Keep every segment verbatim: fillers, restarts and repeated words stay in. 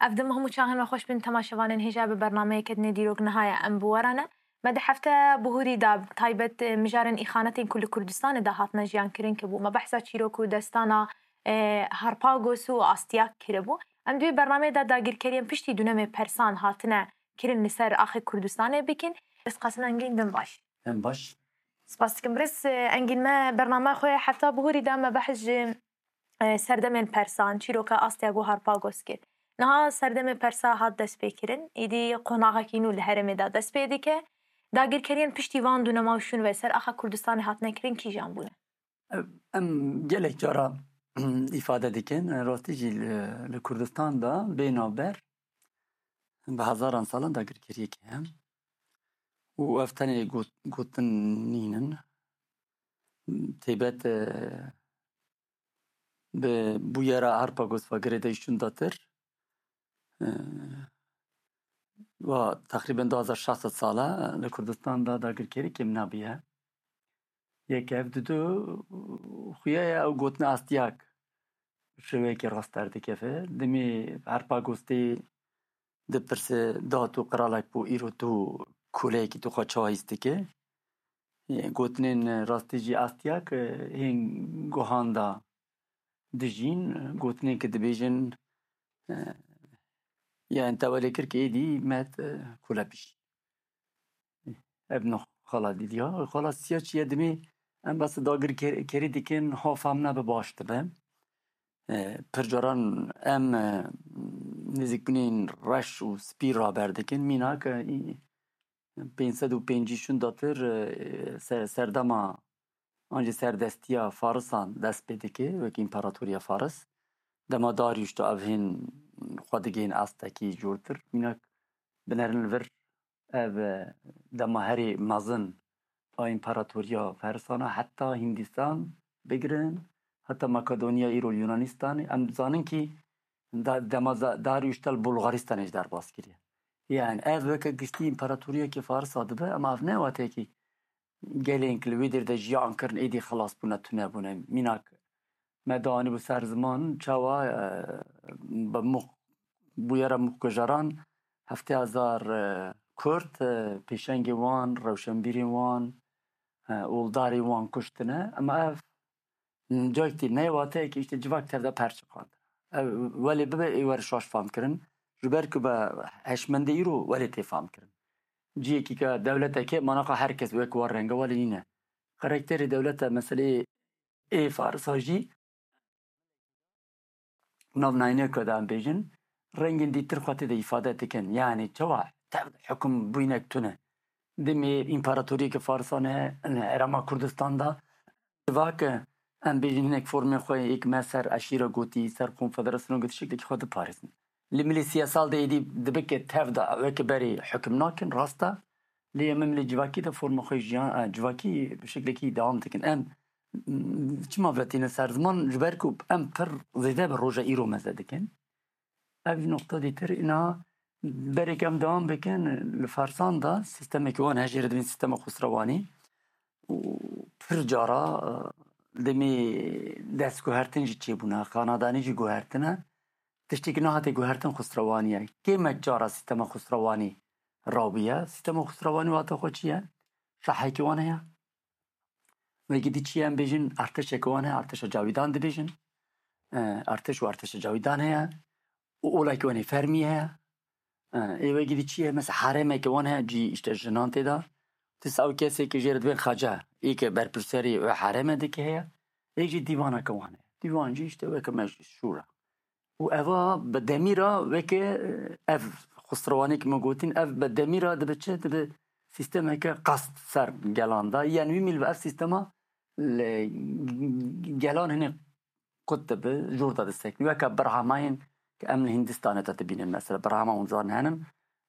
Ev dem hemû çaxên me xweş bin temaşevanên hêja bi bernameyeke dinê dîrok niha ye em bi we re ne. Me di hefte bihûrî de taybet, e, mijarên îxanetên ku li Kurdistanê de hatine jiyan kirin kiribû. Me behsa çîrok û destana, e, Harpagos û Astiyak kiribû. Em di wê bernameyê de dagirkeriyên piştî dûnemê Persan hatine kirin li ser axê Kurdistanê bikin. Ez Qasim Engîn, din baş. Em baş. Spas dikim. Birêz, e, Engîn, me bername xwe hefta bihûrî de me behs ji, e, serdemên Persan, çîroka Astiyak û Harpagos kir. Niha serdemê Persa hat destpêkirin, îdî qonaxekî nû li herêmê de dest pê dike. Dagirkeriyên piştî van dûnema û şûn ve ser axa Kurdistanê hatine kirin kîjan bûne? Em gelek cara îfade dikin. Rastî jî li, li Kurdistan de bê navber bi hezaran salan dagirkeriyekê heye. Û ev tenê got-, gotin nînin. Taybet, e, bi bûyera Harpagos ve girêdayî şûndatir, e, wa teqrîben du hazar şeş sed sal e li Kurdistan de dagirkerî kêm nebûye. Yek ev didu xuya ye ew gotina Astiyak şêweyekî rast derdikeve. Dimê Harpagos tê dipirse, da tu qiralek bû, îro tu koleyekî tu xwe çawa hîs dike? Ê, gotinên rastî jî Astiyak, e, hên guhan de dijîn, e, gotinên ki dibêjin, e, ya entewelê kir ki êdî met, e, kule bijî. Ev no xala dîdiya. Xala siya çi ye dimê em bes dagir ker-, kerî dikin, ha fam nebe baş dibe. E, pir caran em, e, nêzîkbûnên reş û spî raber dikin. Mînak, e, pênc sed û pêncî şûn datir, e, ser-, serdema an jî serdestiya Farisan dest pê dike, wek împaratoriya Faris. Dema Darius da ev hên xwe digihên astekî jûrtir. Mînak binerin li vir ev, e, dema herî mezin a împaratoriya Farisana heta Hindistan bigirin, heta Makedoniya îro li Yunanistanê. Em dizanin kî da-, dema za-, Darius da li Bulgaristanê jî derbas kiriye. Yani ev weke giştî împaratoriyekê Farisa dibe, ama ev ne wateyekî gelên ki li wê dêr de jiyan kirin, êdî xilas bûne, tune bûne. Mînak me danîbû ser ziman, çawa, e, bi mux-, bûyera mixkujeran heftê hezar, e, Kurd, e, pêşengê wan, rewşenbîrên wan, e, oldarê wan kuştine. Ema ev Cayek tê, ne wateyekî îşte civak tev de perçiqand. Ev welê bibe ê were şaş fam kirin. Ji ber ku be hişmendê îro welê tê fam kirin. Ciyekî ke dewleteke manaqa her kes wek war renge welê nîne. Karakterê dewlete meseleyê ê Farisa jî nav nayîneke de em bêjin, rengên dîtir xwe tê de îfade dikin. Yanî çawa tev de hukm bûynek tune. Dimê împaratoriyeke Farisan e, herêma Kurdistan de, civak e, em bêjin hinek formên xwe yek me ser eşîre gotî, ser konfederasyona gotî şeklekî xwe diparêzin. Li milê siyasal de êdî dibike tev de weke berê hukm nakin, rast e. Lê em milê civakî de forma xwe jiyan, e, civakî bi şeklekî dewam dikin. Em, m, çima vetîne ser ziman? Ji ber ku em pir zêde bi roja îro meze dikin. Ev noqta dîtir îna berek em dewam bikin. Li Farsan de sîstemekî wan hejê re dibên sîstema Xusrewanî û pir cara, e, demê destguhertin jî çêbûne, xanadanî jî guhertine. Tiştekî nehate guhertin Xusrewanî ye. Kêmek cara sîstema Xusrewanî rabiye. Sîstema Xusrewanî wata xwe çi ye? Şahekî wan heye. Wekî dî çi ye em bêjin, artêşeke wan heye, artêşa cawîdan dibêjin. E, artêş û artêşa cawîdan heye. Û olakî wan ê fermî heye. E, ê wekî dî çi ye? Mesela haremeke wan heye, cî îşte jinan tê de. Dîsa ew kesê ke jê re dibên xace, ê ke berpirsiyarî wê hareme dike heye. Ê jî dîvaneke wan heye. Dîvan jî îşte weke meclis, şûra. Û eva bi demîra weke, e, ev xusrewanê ke me gotîn, ev bi demîra dibe çi? Dibe sîstemeke qast ser gelan de. Yanî wî mîl bi ev sîstema li gelan hinê qut dibe, jûr de disekîn. Weke birhamayên ke em li Hindistanê de dibînin mesela. Birhama hûn zanin henin.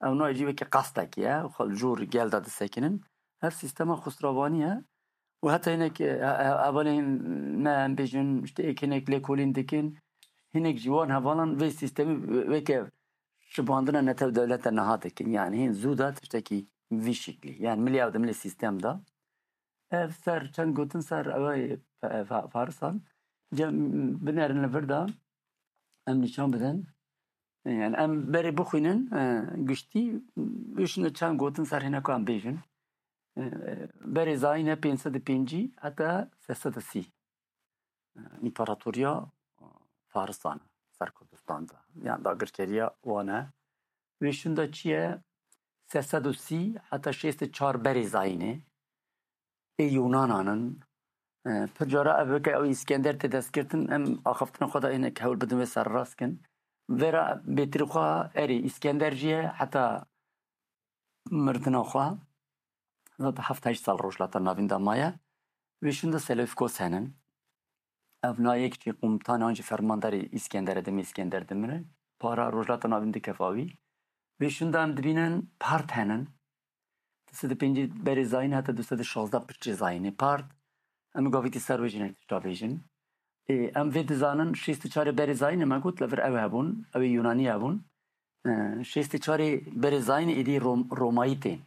Ew nayê jî weke qastekî ye. Xwe li jûr gel de disekînin. Ev sîstema xusrewanî ye. Û heta hinek, e, e, hevalên me em bêjin, işte êk hinek lêkolîn dikin, hinek ji wan hevalan vê sîstemî weke şibandina netew dewlete niha dikin. Yani hîn zû de tiştekî vî şiklî. Yani milî ew de milî sîstem de. Ev ser çend gotin ser ew ê fe-, fe-, Farisan. Cem binerin li vir de em nîşan bidin. Yani em berê bixwînin, e, giştî, wê şûnde çend gotin ser hêne ku em bêjin. E, berê zayîne pênc sed û pêncî heta sê sed û sî. E, împaratoriya Farisan e ser Kurdistan de. Yani dagirkeriya wan e. Wê şûnde çi ye? Sê sed û sî heta şêst û çar berê zayînê. Ê Yunanan in. E, pir cara ev weke ew Îskender tê destgirtin, em axaftina xwe de hinek hewl bidin wê serrast kin. Vera bêtirî xwe erê Îskender jî ye, heta mirdina xwe, zaten heft heşt sal Rojhilata Navîn de maye. Wê şûnde Selevkos henin. Ev na yek jî qumtan an jî fermandarê Îskender e, demê Îskender dimire. Para Rojhilata Navîn dikeva wî. Wê şûnde em dibînin Part henin. Du sed û pêncî berê zayîn heta du sed û şazde piştî zayînê Part. Em gavîtî ser wê jî hinek tişta bêjin. Ê, em vê dizanin şêst û çarê berê zayînê me got, li vir ew hebûn, ew ê Yunanî hebûn. E, şêst û çarê berê zayînê êdî Rom-, Romayî tên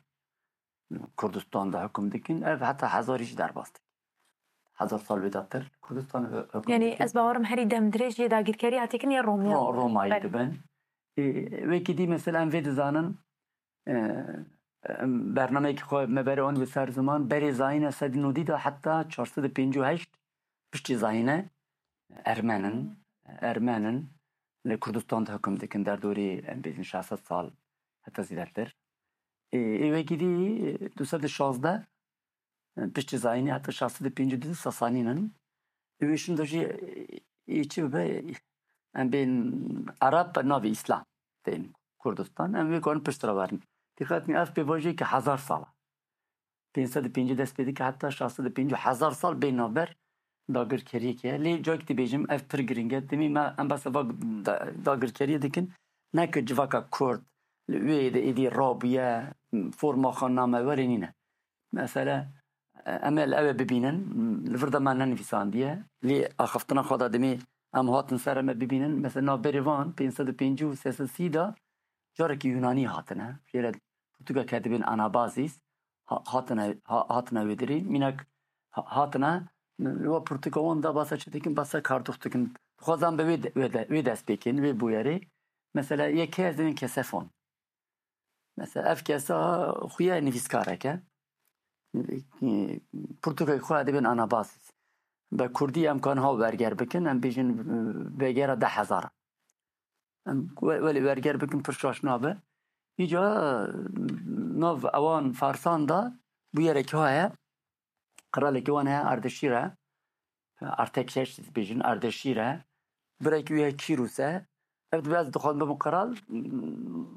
Kurdistan de hukm dikin. Ev heta hezarî jî derbas dikin. Hezar sal wê datir Kurdistan hu-, hukm Yani dikin. Ez bawerim herî demdirêj yê dagirkerî hatî kirin ya Romya. Ro-, Romayî Belê. Dibin. Ê, wekî dî mesela em vê dizanin, e, em bernameyekî xwe me berê an bi ser ziman, berê zayîne sedî nodî de heta çar sed û pêncî û heşt piştî zayîne Ermen in, Ermen in li Kurdistan de hukm dikin derdorî em bêjin şeş sed sal heta zêdetir. Ê, ê wekî dî du sed û şazde piştî zayînê heta şeş sed û pêncî û du Sasanîn in. Ê wê şûnde jî, ê, çi bibe, em bên Ereb navê Îslam tên Kurdistan. Em wê karin pişt re werin. Dîqet kin ev pêvajoyeke hezar sal e. Pênc sed û pêncî dest pê dike heta şeş sed û pêncî hezar sal bê navber dagirkeriyeke ye. Lê cayek dibêjim ev pir giring e. Demê me em behsa va da-, dagirkeriyê dikin. Ne ki civaka Kurd li wê de êdî rabûye, forma xwe name werê nîne. Mesele, e, em ê li ew ê bibînin, li vir de me nenivîsandiye. Lê axaftina xwe de demê em hatin ser em ê bibînin. Mesela navberê van pênc sed û pêncî û sê sed sî de carekî Yunanî hatine. Jê re pirtûkeke dibên Anabazîs ha-, hatine, ha-, hatine wê dirî. Mînak ha-, hatine, wa pirtûka wan da basa çi dikin, basa kardûx dikin. Dixwazan bi wê de, wê de, wê dest pê kin, wê bûyerê. Mesela yekê ez dibên Kesefon. Mesela ev kesa xuya nivîskarek e. Pirtûkek xwe dibên Anabazîs. Bi kurdî em kan ha werger bikin, em bêjin, e, vegera deh hezar. Em we-, welê werger bikin pir şaş nabe. Îca, e, nav ewan Farsan da bûyerek ha ye. Qiralekî wan heye Ardeşîr e. Artekşeş dibêjin, Ardeşîr e. Birekî wî heye Kîrûs e. Ev dibe ez dixwazim bibim qiral,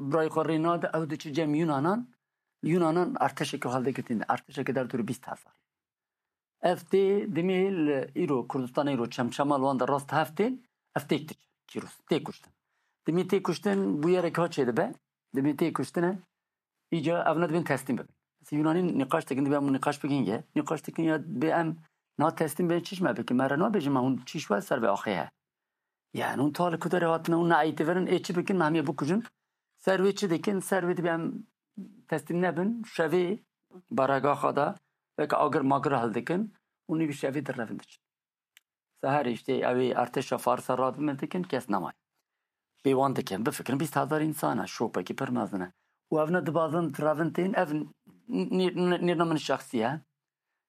birayê xwe rê nade, ew diçe cem Yunanan. Yunanan arteşekî hildegirtin, arteşekî derdorî bîst hezar. Ev tê demê li îro, Kurdistanê îro çemçema li wan de rast hev tên, ev têk diçe, Kîrûs, tê kuştin. Demê tê kuştin bûyerek ha çêdibe, demê tê kuştine, îca evne dibên teslîm bibin. Mesela Yunanî nîqaş dikin, dibê em nîqaş bikin ye. Nîqaş dikin ya dibê em na teslîm bibin çiş me bikin. Me re nabêjin me hûn çiş we ser vê axê he. Yani hûn ta li ku derê hatine, hûn neeytî verin, ê çi bikin, me hemiye bikujin. Ser wê çi dikin? Ser wê dibê em teslîm nebin. Şevê baragaxa da weke agir magir hildikin. Hûn ê bi şevê direvin diçin. Seherê işte ew ê artêşa Farisa radibin dikin, kes nemaye. Pê wan dikin, bifikirin bîst hezar însan e, şopekî pir mezin e. Û ev ne dibazin direvin tên, ev nê-, nê-, nêrna min şexsî ye.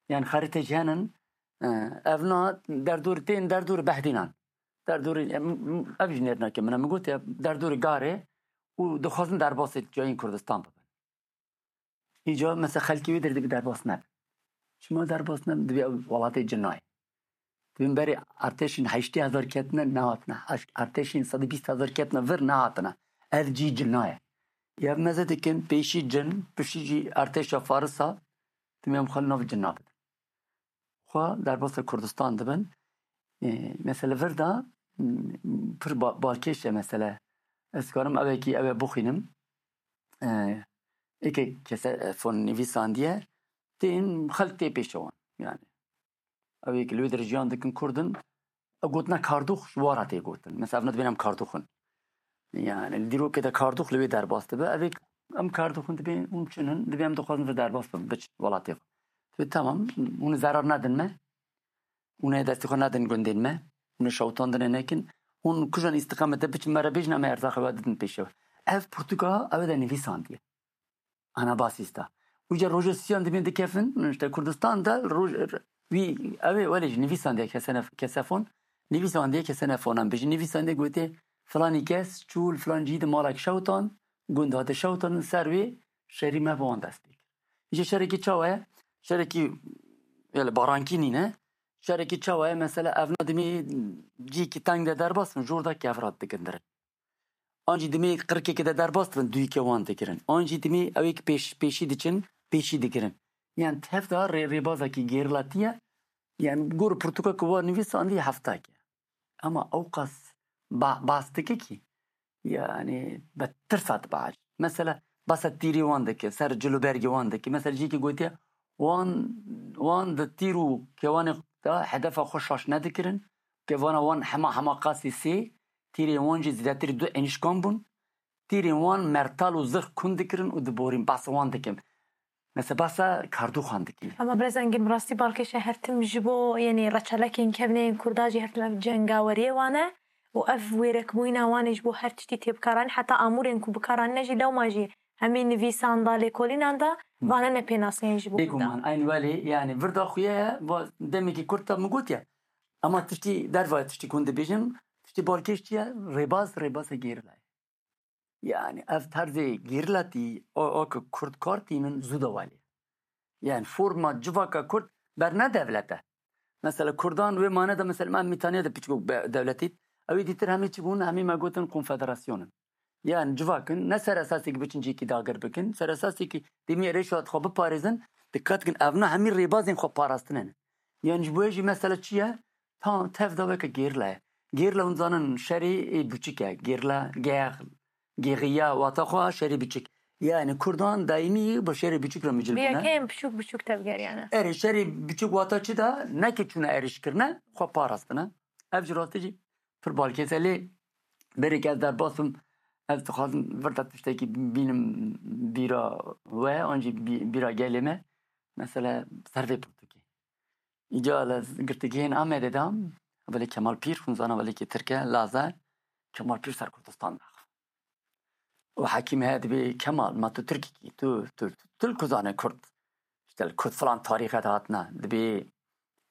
Yani xerîtê jî henin, e, ev na derdor tên, derdor Behdînan. Derdorî, em, ev jî nêrnake min e. Min got ya derdorî garê û dixwazin derbasê cayên Kurdistan bibin. Îca mesela xelkê wê derê dibê derbas nebin. Çima derbas nebin? Dibê ew welatê cinayê. Dibên berê artêşên heştê hezar ketine nehatine. Heş-, artêşên sedî bîst hezar ketine vir nehatine. Ev cî cinaye. Ya meze dikin pêşî cin, piştî jî artêşa Farisa, dibê em xwe li nav cina bidin. Xwe derbasa Kurdistan dibin. E, mesele vir de, m, pir ba-, balkêş e mesele. Ez karim ew ê kî ew ê bixwînim. E, êkê kese, e, fon nivîsandiye, tên xelk tê pêşe wan. Yani, ew ê kî li wê derê jiyan dikin Kurdin, ew gotina kardûx ji wara tê gotin. Mesela, ev ne dibên em kardûx in. Yani, li dîrokê de kardûx li wê derbas dibe. Ev ê em kardûx in dibê hûn çin in, dibê em dixwazin vir derbas bin, biçin welatê xwe. Dibê, tamam, hûn ê zerar nedin me. Hûn ê destê xwe nedin gundên me. Hûn ê şewitandinê nekin. Hûn kujan îstiqamete biçin me re bêjin, em ê erzaxê we didin pêşew. Ev pirtûka ew de nivîsandiye. Anabasîsta. Û ca roja sisiyan dibên dikefin, işte Kurdistan de roj, wî, ew ê welê jî nivîsandiye kesene-, kesefon, nivîsandiye kesenefonan bêjin. Nivîsandiye gotiye, filanî kes çû li filan cihî de malek şewtan, gund hate şewtan, ser wê şerî me bi wan dest pê kir. Îşte şerekî çawa ye? Şerekî, yani barankî nîne. Şerekî çawa ye? Mesela evna dimê cihekî teng de derbas bin, jor de kevrat digindirin. An jî dimê qirkekê de derbas dibin, dûyîkê wan digirin. An jî dimê ew ê ki pêş-, pêşî diçin, pêşî digirin. Yani tev de rê-, rêbazekî gêrilatî ye. Yani gor pirtûka ku wa nivîsandî heftak e. Ama ew qas ba-, bas dike ki, yani bi tirsa dibe. Mesela basa tîrê wan dike, ser cil û bergê wan dike. Mesela cîkî gotiye, wan, wan di tîr û kewanê de hedefa xwe şaş nedikirin. Kevana wan hema hema qasî sê, tîrên wan jî zêdetirî du enîşkan bûn. Tîrên wan mertal û zirx kund dikirin û diborîn. Basa wan dikim. Mesela basa Kardûxan dikî. Ama Birêz Engin, bi rastî balkêş e, her tim ji bo, yanî reçelekên kevneyên Kurda jî her tim ev cengaweriyê wan e û ev wêrekbûyîna wan ê ji bo her tiştî tê bikaranîn, heta amûrên ku bikaranîne jî lewma jî hemî nivîsan da, lêkolînan da, Hı. vane ne pênaseyên ji bo Kurdan. Bêguman, eyn welê, yani vir da xuye ye, va demekî kurt da min gotiye. Ama tiştî derva tiştî ku hûn dibêjin, tiştî balkêş çi ye? Rêbaz, rêbazê gêrila ye. Yani ev terzê gêrilatî, o, o ku kurd kar tînin zû de welê. Yani forma civaka kurd berne devlete. Mesela kurdan wê mane de mesela em Mîtaniya de piçko be-, devletî, ew ê dîtir hemî çi bûn, hemî me gotin konfederasyon in. Yani civak in, ne ser esasê ki biçin cihekî dagir bikin, ser esasê ki demî êrêşa xwe biparêzin, dikkat kin evna hemî rêbazên xwe parastine ne. Yani ji bo wê jî mesela çi ye? Tam tev de weke gêrila ye. Gêrila hûn zanin şerê ê biçik e. Gêrila, gex, gêxiya, wata xwe şerê biçik. Yani kurdan daîmî bi şerê biçik re micil bûne. Bi yekeyên biçûk biçûk tevgeriyane. Erê, şerê biçûk wata çi de? Ne ki çûne êrîş kirine, xwe parastine. Ev ji rastî jî pir balkês e. Lê berê ke ez derbas bim, ez dixwazim vir de tiştekî bînim bîra we, an jî bî-, bîra gelê me. Mesela ser vê pirtûkê. Îca li girtîgehên Amedê de, hevalê Kemal Pîr, hûn zanin hevalekî Tirk e, Laz e, Kemal Pîr ser Kurdistan daxivin. Û hekîm heye dibê, Kemal, ma tu Tirkî kî, tu, tu, tu, tu li ku zanî Kurd, işte li ku filan tarîxe de hatine, dibê,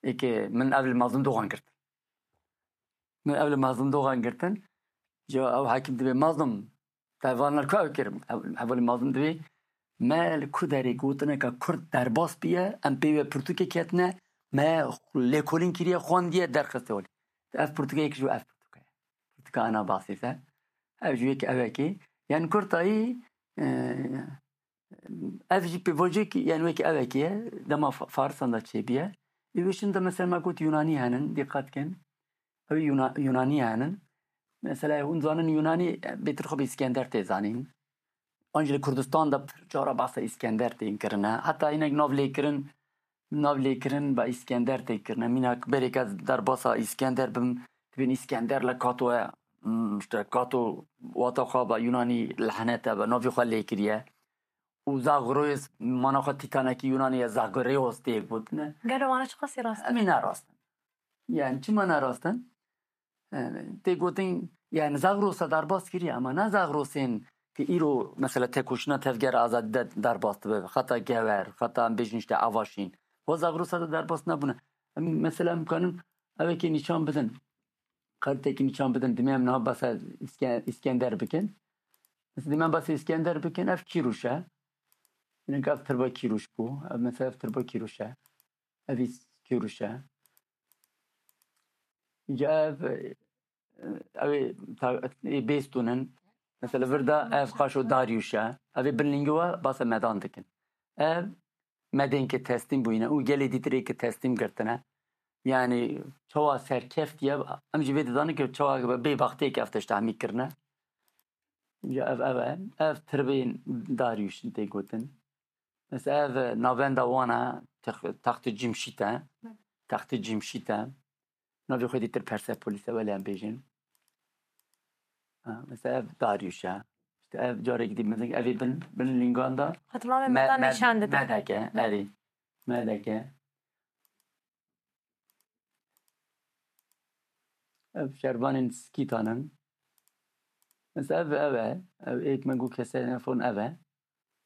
êkê min ev li Mazlûm Dogan girtin. Min ev li Mazlûm Dogan girtin. Ya ew hekîm dibê, Mazlûm, te van li ku ew kirim? Ev, hevalê Mazlûm dibê, me li ku derê gotineka Kurd derbas bûye, em pê wê pirtûkê ketine, me lêkolîn kiriye, xwendiye, derxiste holê. Ev pirtûke yek ji ev pirtûke ye. Pirtûka Anabasî se. Ev ji wê ki ev e ki. Yani Kurtayî, e, ev jî pêvajoyekî, yani wekî ev e ki ye. Dema Fa-, Farisan de çêbûye. Ê wê şin de mesela me got Yunanî henin, dîqat kin. Ew Yuna-, Yunanî henin. Mesela hûn zanin Yunanî, e, bêtir xwe bi Îskender tê zanîn. An jî li Kurdistan de pir cara behsa Îskender tên kirine. Heta hinek nav lê kirin, nav lê kirin be Îskender tê kirine. Mînak berê ke ez derbasa Îskender bim, dibên Îskender li Kato ye, hmm, işte Kato wata xwe be Yunanî lehnete be, navê xwe lê kiriye. Û Zagreus, mana xwe Tîtanekî Yunanî ye, Zagreus tê gotine. Gelo wana çiqasî rast e? Em ê ne rast in. Yani çima ne rast in? Yani, tê gotin, yani Zagrosa derbas kiriye, ama ne Zagrosên ki îro mesela tekoşîna tevgera azadî de derbas dibe, xeta Gewer, xeta em bêjin işte Avaşîn. Wa Zagrosa de derbas nebûne. Em mesela em kanin evekê nîşan bidin. Xeritekî nîşan bidin, dimê em niha behsa Îske-, Îskender bikin. Mesela dimê em behsa Îskender bikin, ev Kîrûş e. Hinek ev tirba Kîrûş bû. Ev mesela ev tirba Kîrûş e. Ev îs Kîrûş e. Îca ev, e, ew ê ta-, ê Bêstûn in. Mesela vir de ev qaşo Daryûş e. Ev ê bin lingî we basa medan dikin. Ev medên ke teslîm bûyîne û gelê dîtirê ke teslîm girtine. Yani çawa serkeftiye, em jî vê dizanin ke çawa bêbextiyê ke ev tişt hemî kirine. Ya ev, ev e. Ev tirbên Daryûş tê gotin. Mesela ev navenda wan e, tex-, textê Cimşît e. Textê Cimşît e. Navê xwe dîtir Persepolis e, welê em bêjin. Ha, mesela ev Daryûş e. İşte ev carek dî, mesela ev ê bin, bin lingan da Hatırlamıyorum, me-, Medan me-, nişan dedi. Medeke, erê. Medeke. Ev şervanên Skîtan in. Mesela ev, ev e. Ev êk me got kesê nefon ev e.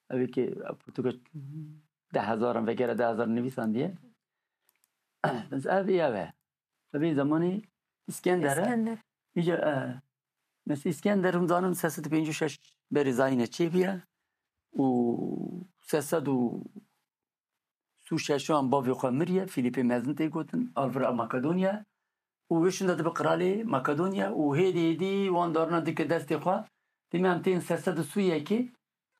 Ev ê ki pirtûka deh hezaran vegera deh hezar nivîsandiye. Mesela ev ê ev e. Ev ê zamanê Îskender e. Îskender. Îca, e, mesela Îskender hûn zanin sê sed û pêncî û şeş berî zayînê çêbûye û sê sed û sî û şeşan bavê xwe miriye, Fîlîpê Mezin tê gotin, alvira Makedonya û wê şûnda dibe qiralê Makedonya û hêdî hêdî wan darna dike destê xwe. Dîme em tên sê sed û sî û yekê,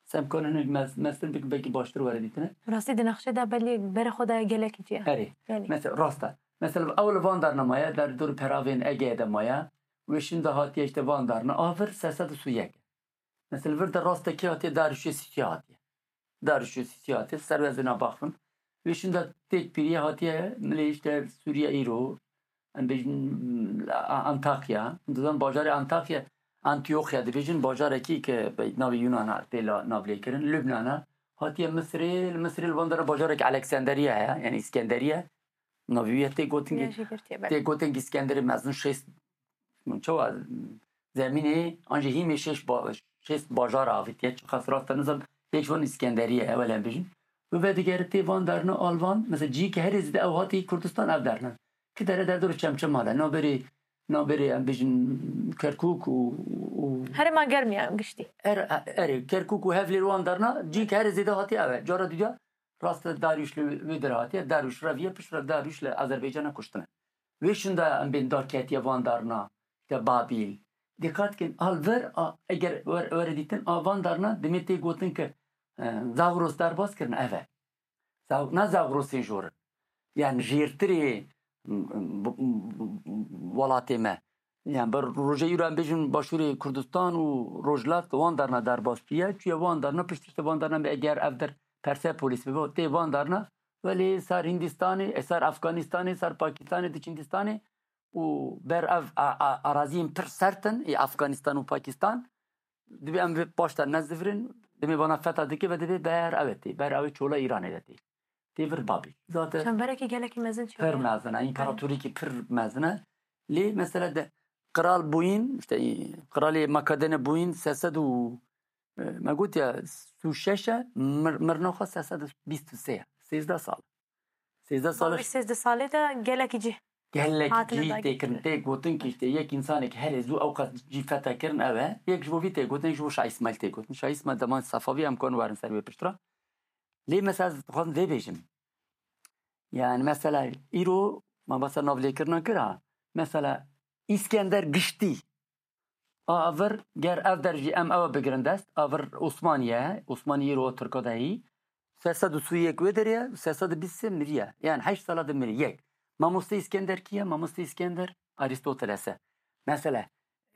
se em karin hinek mez-, meztir bikin, belkî baştir were dîtine. Rastî di nexşê de belê berê xwe daye gelekî cî ye. Erê. Belê. Mesela, rast e. Mesela, ew li van darna maye, der dor peravên Egeyê de maye. Wê şûnda hatiye işte van darna. A vir sê sed û sî û yek. Mesela, vir de rast e kê hatiye, Darûşê Sîsî hatiye. Darûşê Sîsî hatiye, ser wezina baxin. Wê şûnda têk pîriye hatiye, milê işte Sûriye îro. Em bêjin, A-, Antakya. Dizan bajarê Antakya, Antioxya dibêjin, bajarekî ke be-, navê Yunana tê la navlêkirin, Lubnana. Hatiye Misirê, li Misirê li van dera bajarek Aleksanderiya heye, yani Îskenderiye. Navê wî ye tê gotin Ya ki, jî girtiye, belê. Tê gotin ki Îskenderê mezin şêst, çawa, zemînê, an jî hîmê şêst ba-, şêst bajar avîtiye, çiqas rast e, nizam, yek ji wan Îskenderiye ye, wele em bêjin. Û vedigeritê van darna al van, mesela cihê ke herê zêde ew hatî Kurdistan ev darna. Ki dere derdor Çemçema de, navberê, navberê em bêjin Kerkûk û, û Herêma germ ya giştî. Er-, erê, Kerkûk û Hevlêr wan darna, cihê ke herê zêde hatî ev e. Cara dudiya, rast e, Darûş li wê dera hatiye, Darûş reviye, piştre Darûş li Azerbaycana kuştine. Wê şûnda em bên darketiye van darna, işte Babîl. Dîqat kin, al vir, a, eger wer-, were dîtin, a van darna, demê tê gotin ki, e, Zagros derbas kirin, ev e. Zag-, ne Zagrosên jor in. Yani jêrtirê, m, m, b-, m, b-, m, welatê me. Yani bi rojê îro em bêjin Başûrê Kurdistan û Rojhilat wan darna derbas bûye. Çûye wan darna, pişt işte wan darna, eger ev der Persepolis bibe, tê van darna. Welê ser Hindistanê, e, ser Afganistanê, ser Pakistanê, diçin Hindistanê û ber ev a, a, araziyên pir sert in, ê Afganistan û Pakistan. Dibê em vê paş de nezivirin, demê vana fetha dike ve dibê ber ev tê, ber ew çola Îranê de tê. Tê vir Babîl. Zaten çemberekî gelekî mezin çêbûye. Pir mezin e, împaratorîkî pir mezin e. Lê mesela de qral bûyîn, işte, qralê Makedonê bûyîn sê sed û, e, me got ya, sî û şeş e, mir-, mirina xwe sê sed û bîst û sê ye. Sêzdeh sal. Sêzdeh sal. Bavê sêzdeh salê de gelekî cih Gelek hatine cî dagirtin. Tê kirin, tê gotin ki işte yek insanek herê zû ew qas cî fethe kirin ew e. Yek ji bo vî tê gotin, yek ji bo Şah Îsmaîl tê gotin. Şah Îsmaîl deman Sefavî em kon werin ser wê piştre. Lê mesela ez dixwazim vê bêjim. Yani mesela îro me basa navlêkirina kir ha. Mesela Îskender giştî. A vir ger ev der jî em ew bigirin dest. A vir Osmaniye, Osmaniye îro Tirka de hî. Sê sed û sî û yek wê derê ye, sê sed û bîst sê miriye. Yani heşt sala de miriye. Yek. Mamoste Îskender kî ye? Mamoste Îskender Arîstoteles e. Mesela,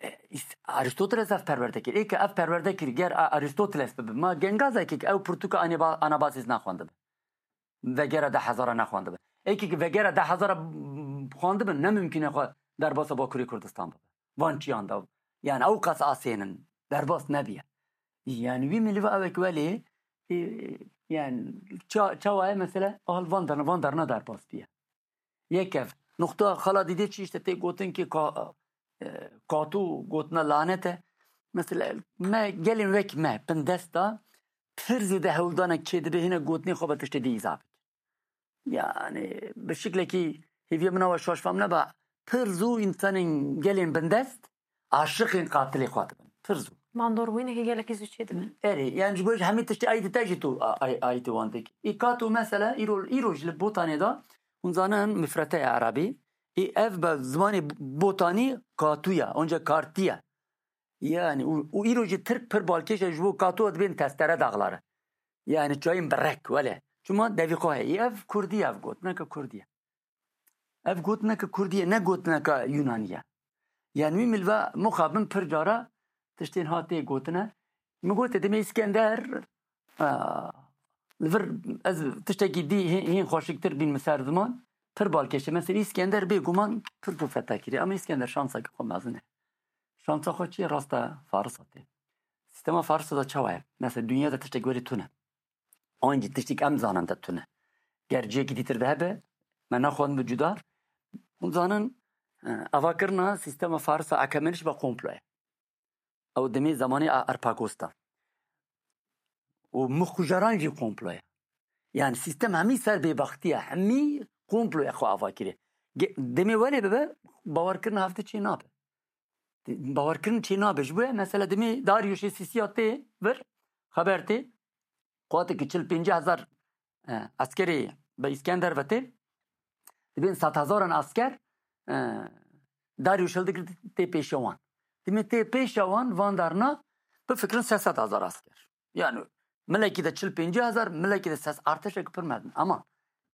e, Îs-, Arîstoteles ev perwerde kir. Ê ke ev perwerde kir, ger A-, Arîstoteles bibe, ma gengazekê ke ew pirtûka Anaba-, Anabazis naxwendibe. Vegera deh hezara nexwendibe. Ê ke vegera deh hezara xwendibe, ne mimkûn e xwe derbasa Bakurê Kurdistan bibe. Van çiyan de. Yani ew qas asên in. Derbas nebiye. Yani wî milî ve ew ek welê, e, yani ça-, çawa ye mesela, al van derna, van derna derbas biye. Yek ev. Nuqta xala dîdê çi işte tê gotin ki ka-, e, katû gotina lanet e. Mesela me gelên wek me, bindesta pir zêde hewldanek çêdibe hine gotinê xwe be tiştê dî îza bike. Yani bi şiklekî hêviya min ew e şaş fam neba, pir zû insanên gelên bindest aşiqên qatilê xwe dibin. Pir zû. Mandorwînekî gelekî zû çêdibe. Erê, yani ji bo hemî tiştê ayî dite jî tu a-, ay-, ayî tu wan dikî. Î katû mesela îro, îro ji li Botanê de hûn zanin mifrete ye erebî. Î ev be zimanê Botanî katû ye, onca kartî ye. Yani û, û îro jî Tirk pir balkêş e ji bo katû dibên testere daxlare. Yani çayên bi rek wele. Çima devî xwe heye. Î ev kurdî ye, ev gotineke kurdî ye. Ev gotineke kurdî ye, ne gotineke Yunanî ye. Yani wî milve muxabin pir cara tiştên hatê gotine. Min gotê demê Îskender, a, li vir ez tiştekî dî hê-, hîn xweşiktir bîn min ser ziman. Pir balkêş e. Mesela Îskender bêguman pir zû fetha kiriye. Ama Îskender şanseke xwe mezin e. Şansa xwe çi ye? Rasta Farisa tê. Sîstema Farisa de çawa ye? Mesela dinya de tiştek welê tune. Ancî tiştek em zanin de tune. Ger cihekî dîtir de hebe, me nexwendibû cuda. Hûn zanin, E, avakirina sîstema Farisa Akemenî jî be komplo ye. Ew demê zemanê A-, Arpagos de. Û mixujeran jî komplo ye. Yani sîstem hemî ser bêbextî ye, hemî komplo ye xwe ava kiriye. Ge-, demê welê bibe, bawerkirina hevdi çê nabe. Bawerkirin çê nabe. Ji bo ye mesela demê Dariuşê Sîsiya tê vir, xeber tê, quwateke çil pêncî hezar, e, eskerê bi Îskender ve tê, dibên sed hezaran esker, e, Dariuş hildigir tê pêşiya wan. Demê tê pêşiya wan, van darna, bifikirin sê sed hezar esker. Yani milekî de çil pêncî hezar, milekî de ses artêşek pir mezin. Ama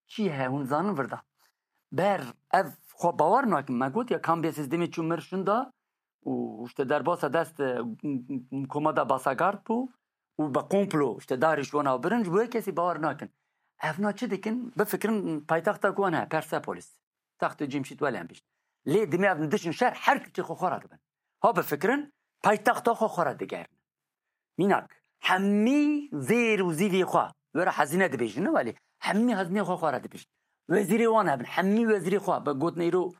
çi he hûn zanin virda. Ber ev xwe bawer nakin. Me got ya Kambises demê çû mir şinda û işte derbasa dest, e, komada Basagard bû û be komplo işte Dariuş wana birin, ji bo yek kesî bawer nakin. Evna çi dikin? Bifikirin paytexta ku wan he, Persepolis. Textê Cemşîd welê em bîst. Lê demê ev dişin şer her tiştê xwe xwe re dibin. Ha bifikirin, paytexta xwe xwe re digerin. Mînak, hemî zêr û zîvê xwe, were hezîne dibêjin, ne welê, hemî hezînê xwe xwe re dibêjin. Wezîrê wan hebin, hemî wezîrê xwe, bi gotin îro,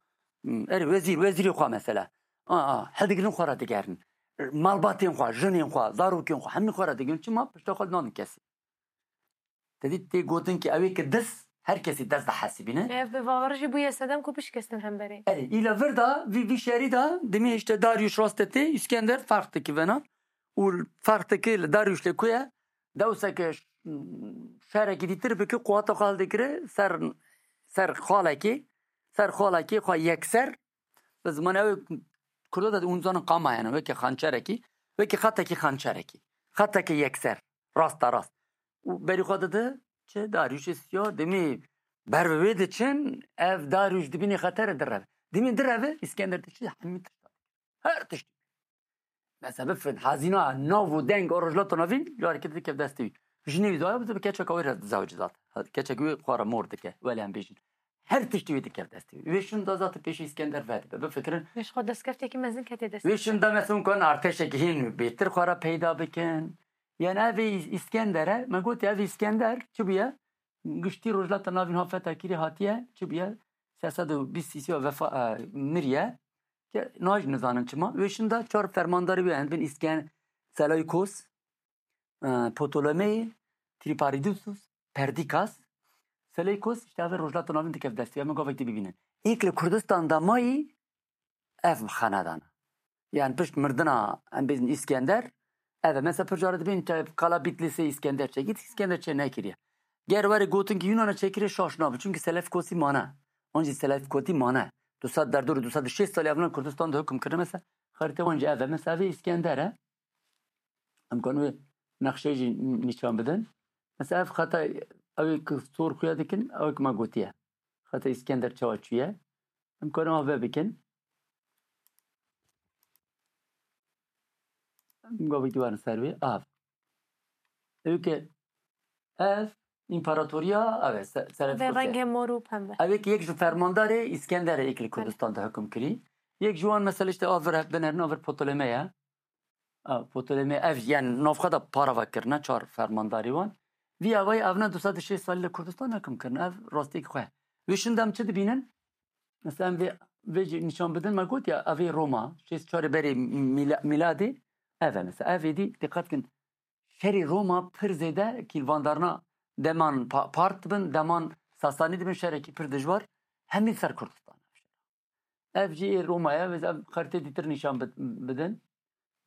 hmm, erê wezîr, wezîrê xwe mesela. A, a, hildigirin xwe re digerin. Malbatên xwe, jinên xwe, zarokên xwe, hemî xwe re digerin. Çima? Pişta xwe nadin kesî. Te dî tê gotin ki ew ê ki dis, her kesî dest dihesibîne. Ev bi bawer jî bûye sedem ku bişkestin hemberê. Erê, îla vir da, vî, vî şerî da, demê işte Darius raste tê, Îskender ferq dikî vena. Û ferq dikî li Darius lê ku ye? Dewseke ş-, şerekî dîtir bike, quwata xwe hildikire ser, ser xalekê, ser xalekê xwe yekser, bi zimanê ew ê Kurda de hûn zanin qama yani, weke xançerekî, weke xetekî xançerekî. Xeteke yekser, rasta rast. Û berî xwe dide çi? Darius Sîya. Demê ber bi wê diçin, ev Darius dibînê xetere direve. Demê direve, Îskender diçi hemî tişta. Her tiştî. Mesela bifin, hazîna nav û deng û Rojhilata Navîn, carekê dikev destê wî. Jinê wî daye, bi keçeka wê re zewc dat. Keçek wê xwe re mor dike, welê em bêjin. Her tiştî wê dikev destê wî. Wê şin da zaten pêşî Îskender vedibe. Bifikirin. Wê ji xwe destkeftekî mezin kete destê wê. Wê şin da mesela kan artêşekî hîn bêtir xwe re peyda bikin. Yani ev ê Îs-, Îskender e. Me got ev Îskender çi bûye? Giştî Rojhilata Navîn ha fetha kirî hatiye, çi bûye? Sê sed û bîst sîsiya vefa, e, miriye. Ke naj nizanin çima. Wê şin da çar fermandarê wê, em bin Îsken-, Seleukos, e, Ptolemeyê, Triparidus, Perdikas. Seleukos, işte ev Rojhilata Navîn dikev destê. Em gavek dî bibînin. Êk li Kurdistan de mayî ev xenedana. Yani pişt mirdina em bêjin Îskender, ev e. Mesela pir cara dibên te qala Bitlîsê Îskender çekî, Îskender çê nekiriye. Ger were gotin ki Yunana çekiriye, şaş nabe. Çünkü Selefkosî mane. An jî Selefkotî mane. Du sed, derdorê du sed û şêst salî evnan Kurdistan de hukm kirine. Mesela xerîtê wan jî ev e. Mesela ev ê Îskender e. Em kan wê nexşeyê jî nîşan bidin. Mesela ev xeta ew ê ki sor xuya dikin, ew ê ki me gotiye. Xeta Îskender çawa çûye? Em karin av vebikin. Em gavekî werin ser wê. Av. Ew ke ev împaratoriya, ev e, se-, Selefkos e. Rengê mor û pembe. Ev ê ki yek ji fermandarê Îskenderê êk li Kurdistan de hukm kirî. Yek ji wan mesela işte av vir, binerin av vir Ptolemê ye. A, Ptolemê ev, yani navxwe de parava kirine çar fermandarî wan. Vî awayî evna du sed û şêst salî li Kurdistan hekim kirine. Ev rastiyek xwe. Wê şin de em çi dibînin? Mesela em vê, vê jî nîşan bidin, me got ya, ev ê Roma, şêst çarê berê mîla-, mîladê, ev e mesela. Ev êdî, diqet kin, şerê Roma pir zêde kîlvandarina deman pa-, Part dibin, deman Sasanî dibin, şerekî pir dijwar, hemî ser Kurdistan. Ev jî ê Roma ye, ez ev xerîtê dîtir nîşan bid-, bidin.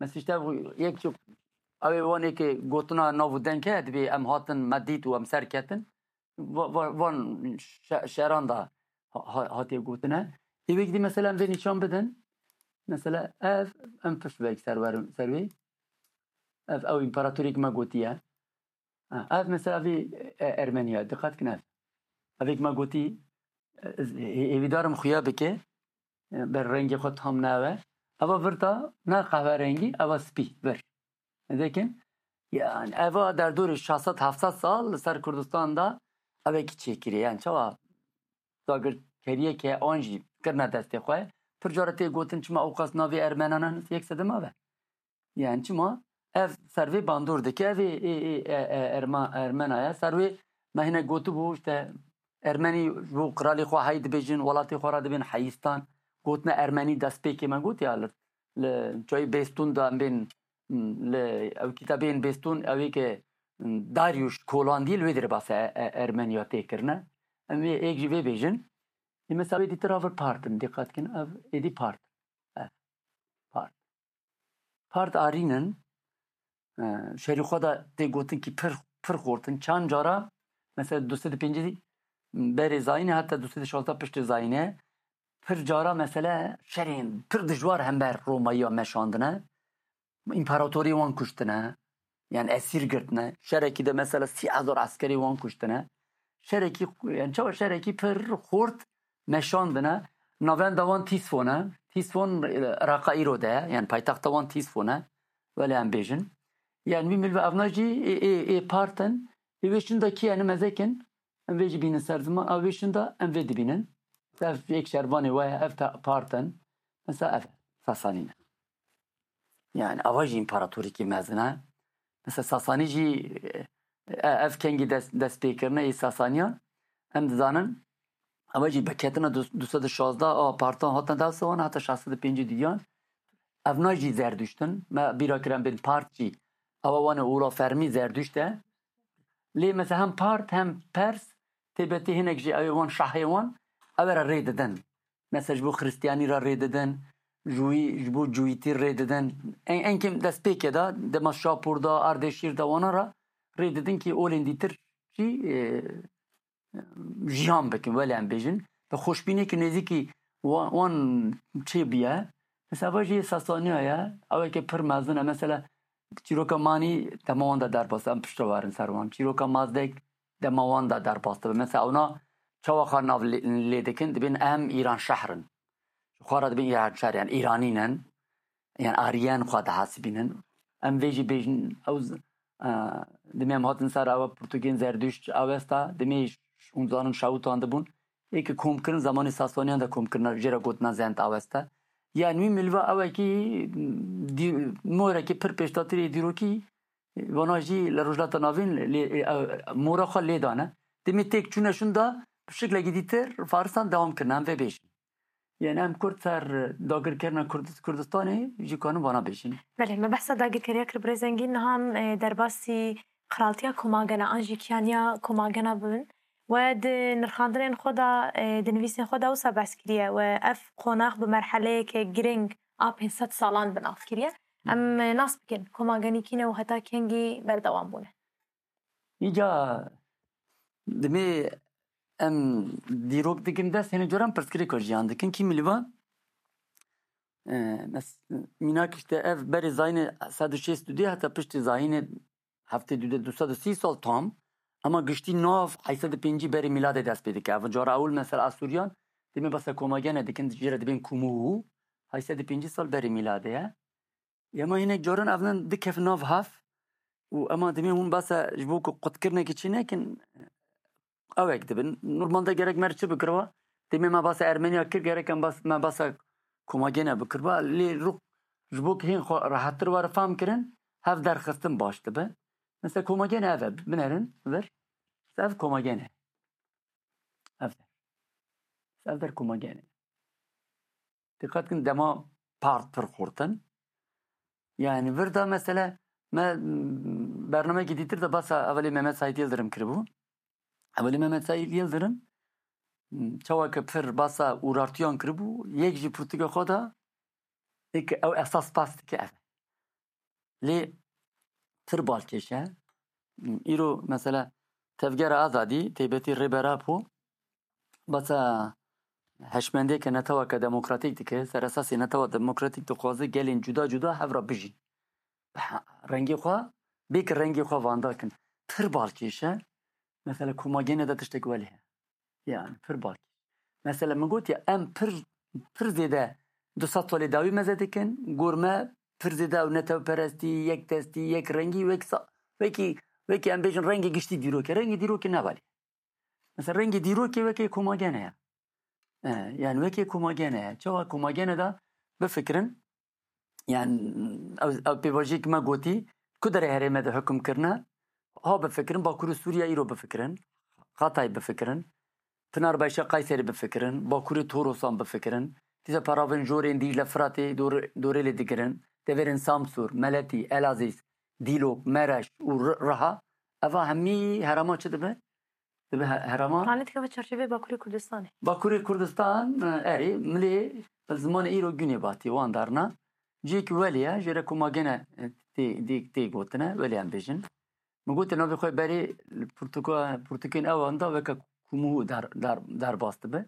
Mesela işte ev yek çi, ew ê wan êkê gotina nav û deng heye, dibê em hatin, me dît û em ser ketin. Va-, va-, van şe-, şeran da ha-, ha-, hatiye gotine. Ê wê dî mesela em vê nîşan bidin. Mesela ev, em pişt vek ser werin, ser wê. Ev ew împaratorê ki me gotiye. Ha, ev mesela vê, e, Ermeniya, diqet kin ev. Ev ê ki me gotî, e, ez hê-, hêvîdarim xuya bike, e, ber rengê xwe tam nawe. Eva vir da, ne qehwerengî, eva spî, vir. Dikin, yani eva derdorê şeş sed heft sed sal li ser Kurdistan da ev ê ki çêkirî. Yani çawa dagirkeriyeke an jî kirine destê xwe. Pir cara tê gotin çima ewqas navê Ermenan e, yek sedema ve. Yani çima? Ev ser vê bandor dike, ev ê, ê, ê, e, e, Erma-, Ermena ye. Ser wê me hine gotibû, işte, Ermenî ji bo qiralê xwe hey dibêjin, welatê xwe re dibên heyîstan. Gotina Ermenî destpêkê me gotiya li, li çayê Bêstûn de em bên, li ew kitabên Bêstûn, ew ê ke Darius Kolandî li wê dirê basa e, e, Ermeniya tê kirine. Em ê êk jî vê bêjin. Ê mesela wê dîtir a vir part in, dîqet kin, ev êdî part. Ev part. Part arîn in. E, şerî xwe de tê gotin kî pir, pir xort in. Çand cara, mesela du sed û pêncî berê zayînê heta du sed û şazda piştê zayînê, pir cara mesele şerên pir dijwar hember Romayiya meşandine. Împaratorê wan kuştine. Yani esîr girtine. Şerekî de mesela sî hezar eskerê wan kuştine. Şerekî, yani çawa şerekî pir xort meşandine. Navenda wan Tîsfon e. Tîsfon, e, Iraqa îro de ye. Yani paytexta wan Tîsfon e. Wele em bêjin. Yani wî milve evna jî ê, ê, ê part in. Ê wê şinda kî yani mezek in. Em vê jî bînin ser ziman. A wê şinda em vê dibînin. Ev yek şervanê we ye, ev te part in. Mesela ev Sasanî ne. Yani ava jî împaratorîkî mezin e. Mesela Sasanî jî, e, ev kengî dest, dest pê kirine ê Sasaniyan. Em dizanin, ava jî bi ketina du, du sed û şazda a partan hatin dewsa wan heta şeş sed û pêncî diyan. Evna jî Zerduşt in. Me bîra kir em bên part jî. Ava wan e ûra fermî Zerduşt e. Lê mesela hem part hem pers, têbetê hinek jî ew ê wan şahê wan, ew ê re rê didin. Mesela ji bo Xristiyanî re rê didin, ji wî, ji bo Cûyîtî rê didin. En, en kêm destpêkê de, dema Şapûr de, Ardeşîr de wana re rê didin kî olên dîtir jî, e, jiyan bikin, wele em bêjin. Bi xweşbînekî nêzîkî wan, wan çêbûye. Mesela va jî Sasaniya ye, ew eke pir mezin e. Mesela çîroka Manî dema wan de derbas, em piştre werin ser wan. Çîroka Mazdek dema wan de derbas dibe. Mesela ewna çawa xwe nav lê, lê dikin, dibên em Îranşehr in. Ji xwe re dibên Îranşehr, yani Îranî ne, yani Aryen xwe dihesibînin. Em vê jî bêjin, ew z-, e, demê em hatin ser ew Portugên Zerduşt, Awesta, demê ş-, hûn zanin şewitandibûn. Ê ke komkirin, zemanê Sasaniyan de komkirina, jê re gotina Zend Awesta. Yani wî milva ew e kî dî-, morekî pir pêşdatirê dîrokî, vana jî li Rojhilata Navîn lê, e, mora xwe lê dane. Demê têk çûne şûn da bi şiklekî dîtir Faristan dewam kirine, em vê bêjin. Yani em Kurd ser dagirkerina Kurd-, Kurdistanê jî kanin vana bêjin. Belê, me behsa dagirkeriya kir birêz Engîn, niha em, e, derbasî qiraltiya Komagena an jî kiyaniya Komagena bibin. We di nirxandinên xwe de, e, di nivîsên xwe de wisa behs kiriye. We ev qonax bi merheleyeke girîng a pênc sed salan bi nav kiriye. Em, e, nas bikin, Komagenî kî ne û heta kengî berdewam bûne? Îca dimê em dîrok dikin dest, hene coran pirsgirêka jiyan dikin. Kî milivan? E, mes-, mînak işte ev berê zayînê sed û şêst û duyê heta piştî zayînê heftê dû de du sed û sî sal tam. Ema giştî nav heyşt sed û pêncî berê mîladê dest pê dike. Ev cara ewil mesela Asûriyan demê basa Komagene dikin, jê re dibên Kûmû û heyşt sed û pêncî sal berê mîladê ye. Ema hinek caran ev ne dikevin nav hev û ema demê hûn basa ji bo ku qutkirinekî çê nekin, ewek dibin. Normalde gerek me çi bikiriba? Demê me basa Ermeniya kir, gerek em bas-, me basa Komagene bikiriba. Lê rû ji bo ku hên xwe rehettir were fehm kirin, hev derxistin baş dibe. Mesela Komagene ev e, binerin vir. Ev Komagene. Ev der. Ev der Komagene. Dikkat kin dema part pir xurt in. Yani vir da mesela me, m, bernameyekî dîtir de basa evelê Mehmet Said Yildirim kiribû. Evelê Mehmet Said Yildirim, m, çawa ke pir basa Urartuyan kiribû, yek jî pirtûka xwe da, ê ke ew esas bas dike ev. Lê pir balkêş e. Îro mesela Tevgera Azadî, Teybetî Rêber Apo, basa heşmendiyeke neteweke demokratîk dike, ser esasê netewa demokratîk dixwaze gelên cuda cuda hev re bijîn. Rengê xwe, bê ki rengê xwe vanda kin. Pir balkêş e. Mesela Komagene de tiştek welê heye. Yani pir balkêş. Mesela min got ya em pir, pir zêde du sed salê dawî meze dikin, gor me pir zêde ew netewperestî, yekdestî, yek rengî, wek sa-, wekî, wekî em bêjin rengê giştî dîrokê. Rengê dîrokê ne welê. Mesela rengê dîrokê wekê Komagene ye. E, yani wekê Komagene ye. Çawa Komagene de bifikirin, yani ew, ew pêvajoyek me gotî, ku derê herême de hukm kirine, ha bifikirin, Bakurê Sûriye îro bifikirin, Xatay bifikirin, Pinarbaşa Kayserî bifikirin, Bakurê Torusan bifikirin, Tîza paravên jorên Dîcle, Firatê dor-, dorê lê digirin. Deverên Samsûr, Meletî, Elazîz, Dîlok, Mereş û Ri-, Riha. Eva hemî herema çi dibe? Dibe he-, herema. Rane dikeve çarçevê Bakurê Kurdistanê. Bakurê Kurdistan, e, erê, milê zimanê îro Güneybatî wan darna. Ciyek welê ye, jêre komagene, e, tê, tê, tê gotine, welê em bêjin. Min gote navê xwe berê li pirtûka-, pirtûkên ewan da weke kûmû dar-, dar-, derbas dibe.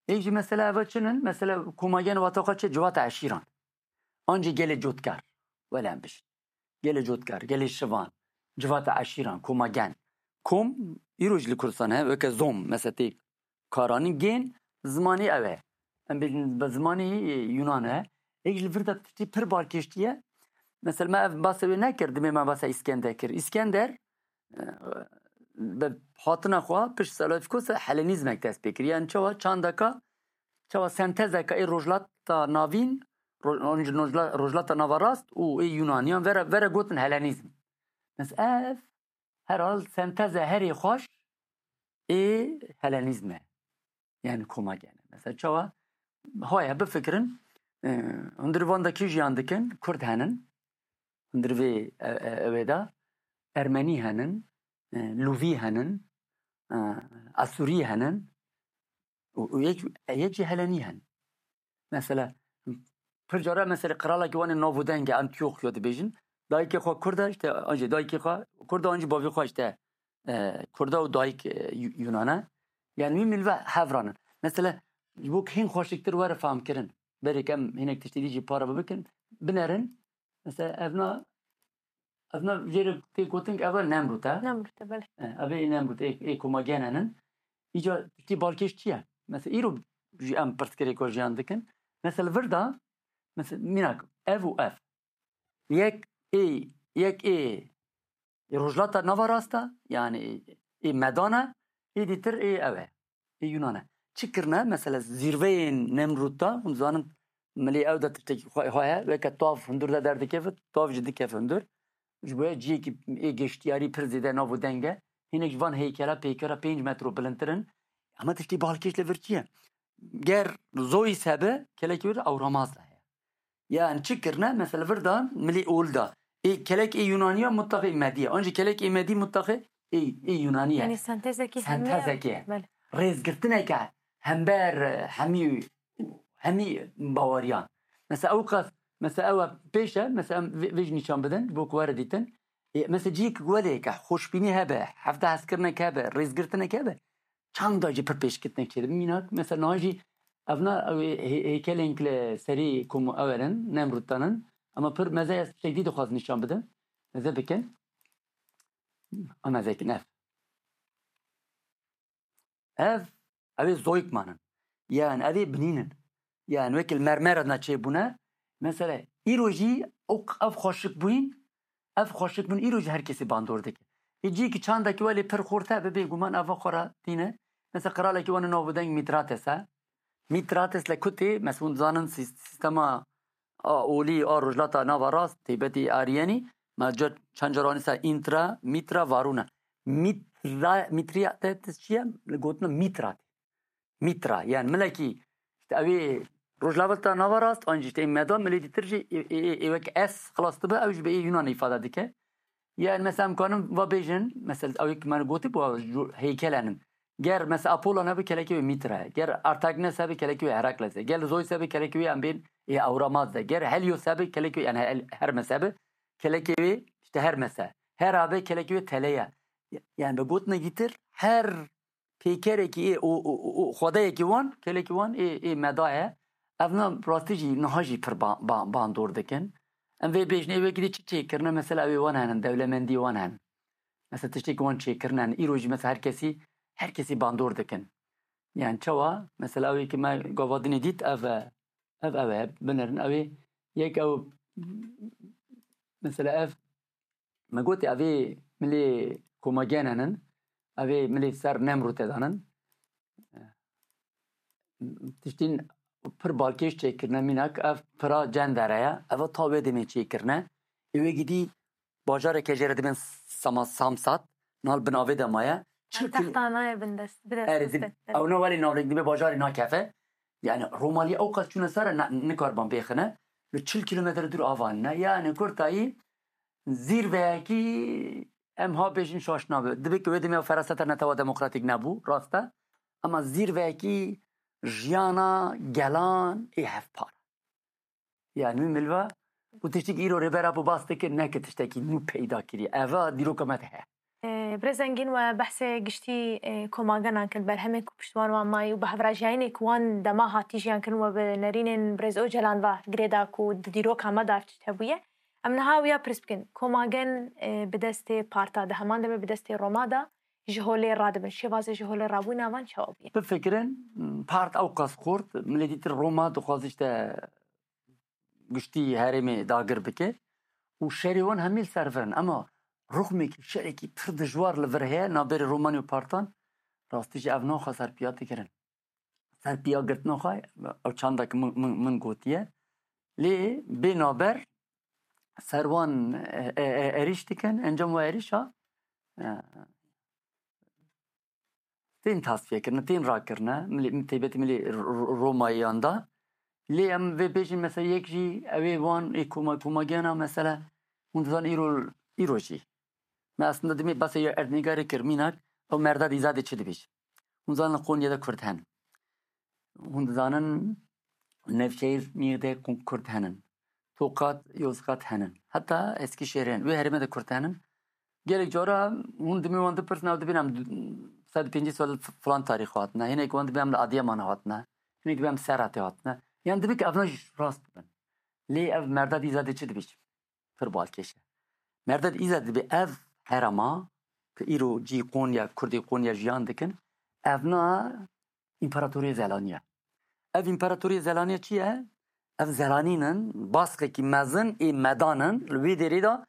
Ê jî mesela eva çinin, mesela komagen wata xwe çi civata eşîran. An jî gelê cotkar, wele em bijin. Gelê cotkar, gelê şivan, civata eşîran, komagen. Kom, îro jî li Kurdistan he, weke zom, mesela tê karanîn, gên, zimanî ew e. Em bêjin bi zimanî, e, Yunan e. Êk ji li vir de tiştî pir balkêş tî ye. Mesela me ev basê wê nekir, dimê me basa Îskender kir. Îskender, e, bi hatina xwe pişt Selafikos Helenîzmek dest pê kir. Yani çawa çandeka, çawa sentezeka ê Rojhilata Navîn, Ro-, Rojhila-, Rojhilata Navarast û ê Yunaniyan vere, vere gotin Helenîzm. Mesela ev herhal senteze herê xweş ê Helenîzm e. Yani komagene. Mesela çawa? Haya bifikirin, e, hundir van de kî jiyan dikin? Kurd henin. Hundir vê, e, e, ewê de Ermenî henin, e, Lûvî henin, e, Asûrî henin û, û yek, yek jî Helenî henin. Mesela, pir cara mesela qiralekî wan ê nav û deng e, Antîoxya dibêjin. Dayikê xwe Kurd e, işte, an jî dayikê xwe Kurd e, an jî bavê xwe işte, e, Kurd e û dayik, e, Yu-, Yunan e. Yani wî milve hevran in. Mesela, ji bo hîn xweşiktir were fehmkirin. Berê em hinek tiştî dî jî para bikin, binerin. Mesela, evna, evna jêre tê gotin, eva Nemrût e. Nemrût e, belê. E, ev ê Nemrût, ê, ê komagene nin. Îca tiştî balkêş çi ye? Mesela, îro jî em pirsgirêka jiyan dikin. Mesela, vir de, mesela, mînak, ev û ev. Yek ê, yek ê, ê Rojhilata Nava Rast e, yani ê, ê Medan e, ê dîtir ê ew e, ê Yunan e. Çi kirine? Mesela zîrveyên Nemrût de, hûn zanin milê ew de tiştekî xwe, xwe heye, weke tav hundir de derdikeve, tav jî dikeve hundir. Ji bo ciyekî ê geştiyarî pir zêde nav û deng e. Hinek ji van heykela pêkera pênc metro bilindtir in. Ama tiştî balkêş li vir çi ye? Ger Zois hebe, kelekî wir Awramaz de heye. Yani çi kirine? Mesela vir dan milî ol da. Ê kelek ê Yunaniya mutlaxê Mediye. An jî kelek ê Medî mutlaxê ê, ê Yunaniye. Yani sentezekî hemî. Sentezekî. Belê. Rêzgirtineke hember, e, hemî, hemî baweriyan. Mesela ew qas, mesela ew pêş e, mesela em vê, vê jî nîşan bidin, ji bo ku were dîtin. Ê, mesela ciyek welê ke, xweşbînî hebe, hevde hezkirinek hebe, rêzgirtinek hebe, çanda jî pir pêşketinek çêdibe. Mînak, mesela niha jî evna ew ê hê-, hêkelên ki li serî kom ew erin, Nemrût danin, ama pir meze ez tiştek dî dixwaz nîşan bidim. Meze bikin. A meze kin ev. Ev, ev ê zoyik manin. Yani ev ê binînin. Yani wekî li mermera dina çêbûne. Mesela îro jî ew, ev xweşik bûyîn, ev xweşik bûn îro jî her kesî bandor dike. Ê ciyekî çandekî welê pir xurt e, bi bêguman eva xwe re tîne. Mesela qiralekî wan ê nav û deng Mîtrates e. Mîtrates li ku tê? Mesela hûn dizanin sîs-, sîstema a olî a Rojhilata Nava Rast, têbetî Ariyenî, me ca çend caran dîsa Intra, Mîtra, Varûn e. Mîtra, Mîtriyates çi ye? Li gotina Mîtra tê. Mîtra, yani milekî, işte ew ê Rojhilata Nava Rast, an jî işte ê Meda, milê dîtir jî ê, ê, ê, ê wek S xilas dibe, ew jî bi ê Yunan îfade dike. Yani mesela em kanin va bêjin, mesela ew ê ki me gotî bû, ju-, heykel henin. Ger mesela Apollo nebe, kelekê wê Mîtra ye. Ger Artagnes hebe, kelekê wê Herakles e. Ger Zeus hebe, kelekê wê em bên ê Awramaz de. Ger Helios hebe, kelekê wê, yani Hel-, Hermes hebe, kelekê wê işte Hermes e. Hera be, kelekê wê Tele ye. Yani bi gotina dîtir her pêkerekî ê û, û, û, û xwedeyekî wan, kelekî wan ê, ê Meda ye. Evna rastî jî niha jî pir ba-, ba-, bandor dikin. Em vê bêjin ê wekî dî çi çêkirine, mesela ew ê wan henin, dewlemendî wan henin. Mesela tiştêk wan çêkirine, îro jî mesela her kesî, her kesî bandor dikin. Yani çawa? Mesela ew ê ki me gava dinê dît, ev e, ev, ev e, binerin, ew ê yek ew, mesela ev, me gotê ev ê milê komagen henin, ev ê milê ser Nemrûtê danin. Tiştîn pir balkêş çêkirine, mînak ev pira cendere ye. Eva ta wê demê çêkirine. Ê wê gidî bajareke jê re dibên Sama-, Samsat, nal bin avê de maye. Çi Ev ku texta nayê bin dest, bi dest Erê, dib-, xistin. Ew ne welê navlêk dibe bajarê nakefe. Yani Romalî ew qas çûne ser e, ne-, nikariban bêxine. Li çil kîlometre dûr ava ne. Yani kurtayî zîrveyekî em ha bêjin şaş nabe. Dibe ku wê demê ew feraseta netewa demokratîk nebû, rast e. Ama zîrveyekî jiyana gelan ê hevpar. Yani min milva û tiştek îro Rêber Apo bas dike, neke tiştekî nû peyda kiriye. Eva dîroka me de heye. Birêz Engîn, we behsê giştî komagenan kir, berhemên ku piştvan wan mayî û bi hevrajiyayînê ku wan dema hatî jiyan kirin, we bi nerînên birêz Ocalan ve girêda ku di dîroka me de ev tişt hebûye. Em niha wiya pirs bikin, komagen bi destê parta de, heman demê bi destê Roma de ji holê radibin. Şêwazê ji holê rabûyîna van çawa bûye? Bifikirin, part ew qas xurt, milê dîtir Roma dixwaze işte giştî herêmê dagir bike û şerê wan hemî li ser vir in. Ema ruxmekî, şerekî pir dijwar li vir heye, navberê Romanî û partan, rastî jî ev naxa serpiya dikirin. Serpiya girtina xwe, ew çanda ku min, min, min gotiye. Lê bê naber ser wan e, e, e, êrîş dikin, encam wa êrîşa e, tên tasfiye kirine, tên rakirine, milê, taybetî milê Ro-, Ro-, Romayiyan da. Lê em vê bêjin mesela yek jî ew ê wan ê koma-, komagiyana mesela hûn dizan îro, îro jî. Me aslında dimê basê ya erdnîgarê kir mînak, ew merda dîza de çi dibêjin. Hûn zanin li Qonyê de Kurd hene. Hûn dizanin Nevşehîr, Nîğde Kurd henin. Tokat, Yozgat henin. Heta Eskişehir henin. Wê herêmê de Kurd henin. Gelek cara hûn dimê wan dipirsin, ew dibên em sed û pêncî sal filan tarîx hatine. Hinek wan dibê em li Adiyamanê hatine. Hinek dibê em Serhatê hatine. Yan dibê ki evna jî rast bibin. Lê ev merda dîza dê çi dibêjim? Pir balkêş e. Merda dîza dibê ev herema ki îro cî Konya, Kurdê Konya jiyan dikin, evna împaratoriyê Zelaniye. Ev împaratoriyê Zelaniye çi ye? Ev Zelanîn in, baskekî mezin ê medan in, li wê derê de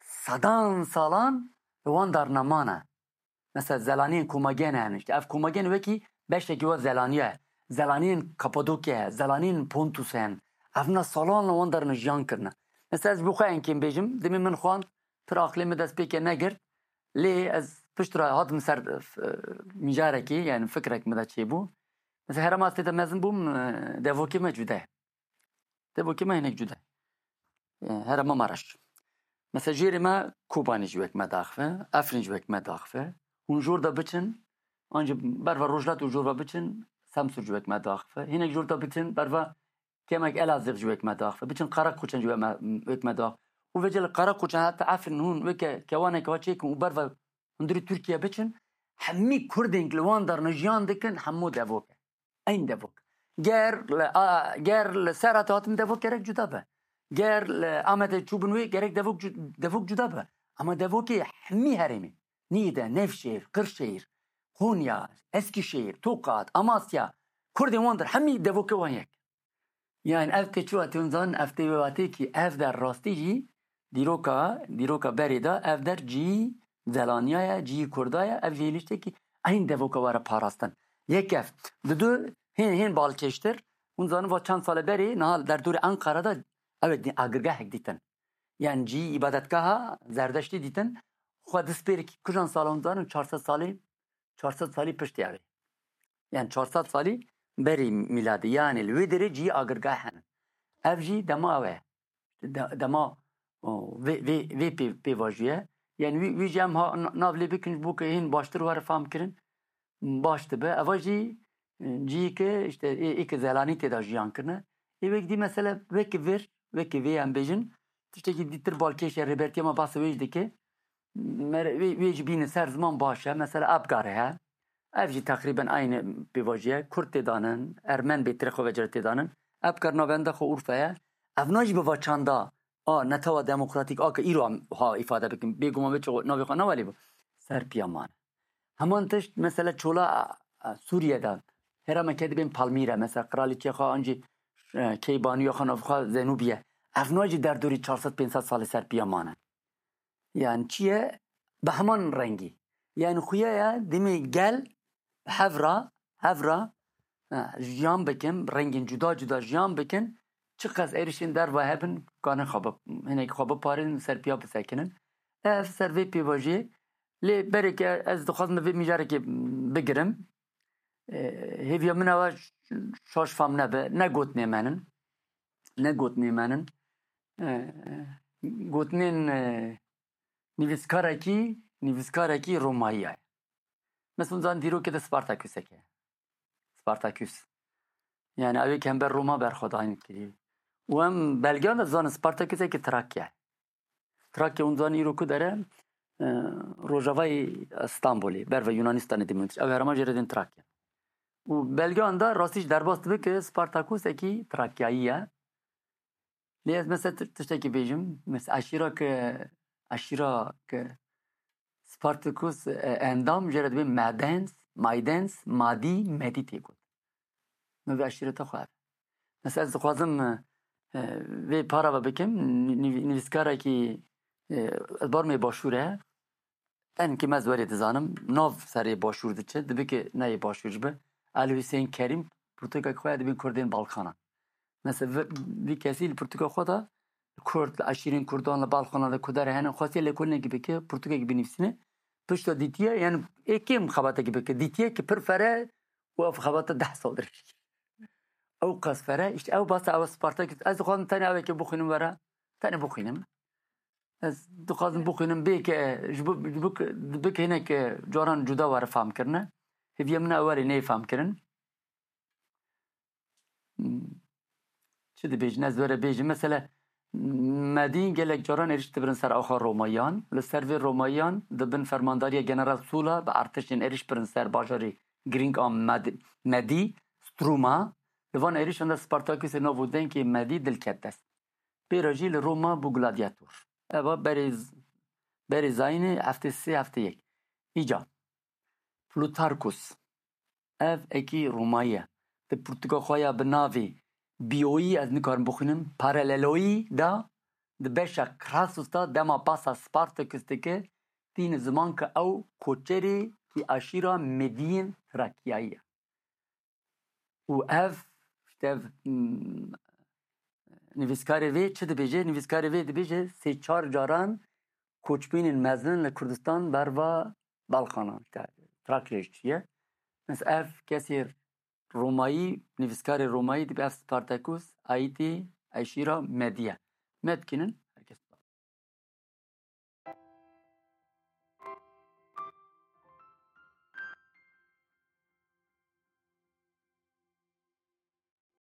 sedan salan li wan darna mane. Mesela Zelaniyên Komagene hene. İşte ev Komagene wekî beşekî wa Zelaniye ye. Zelaniyên Kapadokya ye, Zelaniyên Pontus hene. Evna salan li wan darna jiyan kirine. Mesela ez ji bo xwe enkên bêjim, dimê min xwand, pir aqilê min dest pê ke negirt. Lê ez pişt re hatim ser e, mijarekê, yani fikrek min de çêbû. Mesela herema ez tê de mezin bûm, e, devokê me cude ye. Devokê me hinek cude ye. E, herema Maraş. Mesela jêrê me Kobanê ji wek me daxive, Efrîn ji wek me daxive. Hûn jor de biçin, ancî berva Rojhilat û jor ve biçin, Semsûr ji wek me daxive. Hinek jor de biçin, berva kemek Elazığ ji wek me daxive. Biçin Karakoçan ji wek me, wek me daxive. Û vêce li Karakoçan heta Efrîn hûn weke kewaneke wa çêkin û berva hundirî Tirkiye biçin, hemî Kurdên li wan darna jiyan dikin, hemû devok e. Eyn devok. Ger li, a, ger li Serhatê hatin devok gerek cuda be. Ger li Amedê çûbin wê gerek devok cu-, devok cuda be. Ama devokê hemî herêmê. Nîde, Nevşehir, Kırşehir, Konya, Eskişehir, Tokat, Amasya, Kurdên wan dir hemî devokê wan yek. Yani ev tê çi watê hûn zanin, ev tê wê watê kî ev der rastî jî dîroka, dîroka berê de ev der cî Zelaniya ye, cî Kurda ye, ev jî hêlîştekî eyn devoka were parastin. Yek ev. Didu hên, hên balkêştir, hûn zanin va çend sale berê niha derdorê Ankara de ew ê dî-, agirgehek dîtin. Yani cî îbadetgeha Zerdeştî dîtin, xwe dispêrikî kujan sala hûn zanin çar sed salî, çar sed salî piştî ew ê. Yani çar sed salî berî mîladê. Yani li wê derê cî agirgeh hene. Ev jî dema ew e. De-, dema, o, vê, vê, vê pê, pêvajoyê ye. Yani wî, wî jî em ha, na-, nav lê bikin ji bo ke hên baştir were fam kirin. Baş dibe. Eva jî, e, cihîke, işte, ê, ê ke zelanî tê de jiyan kirine. Ê wek dî mesele wek vir, wek vê em bêjin, tiştekî dîtir balkêş e, rêbertiya me bahsa wê jî dike. Mere-, wê, wê jî bîne ser ziman baş e. Mesela Apgar heye. Ev jî teqrîben aynî pêvajoyê ye. Kurd tê danin, Ermen bêtirê xwe vecere tê danin. Apgar navenda xwe Urfa ye. Evna jî bi va çanda a netewa demokratîk a ke îro em ha îfade bikin. Bêguman vê çi navê xwe newelî bû. Serpiya mane. Heman tişt mesela çola, e, Sûriye de. Herêmeke dibên Palmîre. Mesela qiraliçeya xwe an jî, e, Keybaniya xwe nav xwe Zenûbiye. Evna jî derdorî çar sed pênc sed salê serpiya mane. Yani çi ye? Bi heman rengî. Yani xuya ye, demê gel hevra, hevra, e, jiyan bikin, rengên cuda cuda jiyan bikin, çiqas êrişên derva hebin, kanin xwe bi-, hinek xwe biparêzin, ser piya bisekinin. Ev ser vê pêvajoyê, lê berê ke ez dixwazim vê mijarekê bigirim. e, hêviya min ew e şaş fam nebe, ne gotinê menin, ne gotinê menin. E, gotinên, e, nivîskarekî, nivîskarekî Romayî ye. Mesela, hûn zanin dîrokê de Spartakûsek e. Spartakûs. Yani, ew ê ki hember Roma berxwedan kirî. Û em belgeyan de zanin Spartakûsekî Trakya. Trakya hûn zanin îro ku dere, e, rojavayê Stenbolê, berve Yunanistanê dimîn. Ew herêma jê re dên Trakya. Û belgeyan de rastî jî derbas dibe ki Spartakûsekî Trakyayî ye. Lê ez mesela ti-, tiştekî bêjim, mesela eşîra ki, eşîra ki Spartacus, e, endam jê re dibê Madens, Maydens, Madî, Medî tê got. Min vê eşîreta xwe ev. Mesela ez dixwazim, e, e, vê para ve bikim, nî-, nî-, nivîskarekî, e, ez bar me başûr e. En ki me ez werê dizanim, nav serê başûr diçe, dibe ki ne yê başûr ji bi. Ali Hüseyin Kerim, pirtûkek xwe ya dibên Kurdên Balkanan. Mesela vi, vî kesî li pirtûka xwe de Kurd, li eşîrên Kurdan, li Balkanan de ku dere hene, xwestiye lêkolînekî bike, pirtûkekî binivîsîne. Pişta dîtiye, yani ê kêm xebatekî bike. Dîtiye ki pir fere û ev xebata deh sal dirêj. Ew qas fere, işte ew basa ew Spartak, ez dixwazim tenê ew ê ki bixwînim were, tenê bixwînim. Ez dixwazim bixwînim, bê ke ji bo, ji bo ke, bike hinek caran cuda were fam kirine. Hêviya min ew were neyê fam kirin. Hmm. Çi dibêjin? Ez were bêjim. Mesela, Medî gelek caran êrîş dibirin ser axa Romayan. Li ser vê Romayan di bin fermandariya General Sula bi artişên êrîş birin ser bajarê girîng a Med-, Medî, Struma. Li van êrîşan de Spartakûsê nav û dengê Medî dilket dest. Pê re jî li Roma bû gladiator. Eva berê z-, berê zayînê heftê sê heftê yek. Îca. Plutarkus. Ev êkî Romayî ye. Di pirtûka xwe ya bi navê Bioyî, ez nikarim bixwînim, Paraleloyî de di beşa Crassus de dema basa Spartacus dike, tîne ziman ke ew koçerê ki aşîra Mediyên Trakyayî ye. Û ev, işte ev, hmm, nivîskarê vê çi dibêje? Nivîskarê vê dibêje sê çar caran koçbînên mezin li Kurdistan berva Balkanan, işte, Trakya jî çiye. Mesela ev kesê Romayî, nivîskarê Romayî dibe ev Spartacus, aîtî eşîra Medî ye. Medkinin,